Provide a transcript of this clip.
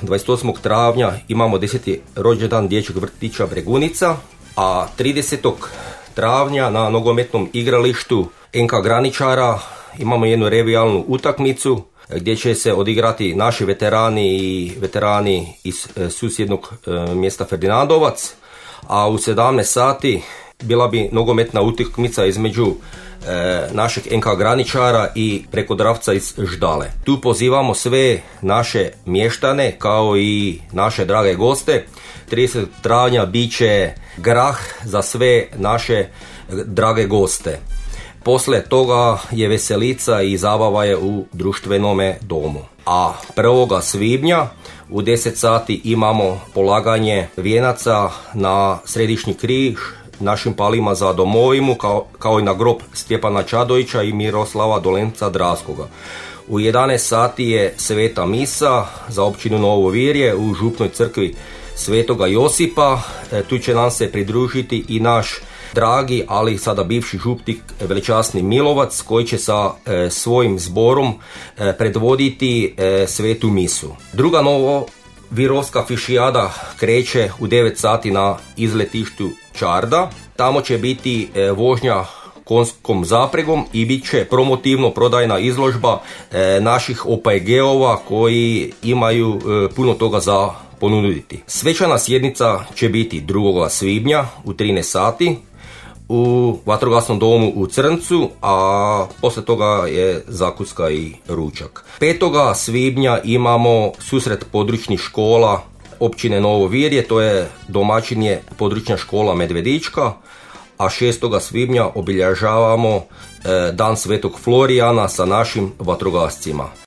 28. travnja imamo 10. rođendan dječjeg vrtića Bregunica, a 30. travnja na nogometnom igralištu NK Graničara imamo jednu revijalnu utakmicu gdje će se odigrati naši veterani i veterani iz susjednog mjesta Ferdinandovac, a u 17 sati bila bi nogometna utakmica između našeg NK Graničara i Prekodravca iz Ždale. Tu pozivamo sve naše mještane kao i naše drage goste. 30. travnja bit će grah za sve naše drage goste. Poslije toga je veselica i zabava je u društvenome domu. A 1. svibnja u 10 sati imamo polaganje vijenaca na Središnji križ našim palima za domovinu, kao i na grob Stjepana Čadovića i Miroslava Dolenca Draskoga. U 11 sati je sveta misa za općinu Novo Virje u župnoj crkvi Svetoga Josipa. Tu će nam se pridružiti i naš dragi, ali sada bivši župnik veličasni Milovac, koji će sa svojim zborom predvoditi svetu misu. Druga novovirovska fišijada kreće u 9 sati na izletištu Čarda. Tamo će biti vožnja konjskom zapregom i bit će promotivno prodajna izložba naših OPG-ova koji imaju puno toga za ponuditi. Svečana sjednica će biti 2. svibnja u 13 sati u vatrogasnom domu u Crncu, a poslije toga je zakuska i ručak. 5. svibnja imamo susret područnih škola općine Novo Virje, to je domaćin je područna škola Medvedička, a 6. svibnja obilježavamo Dan Svetog Florijana sa našim vatrogascima.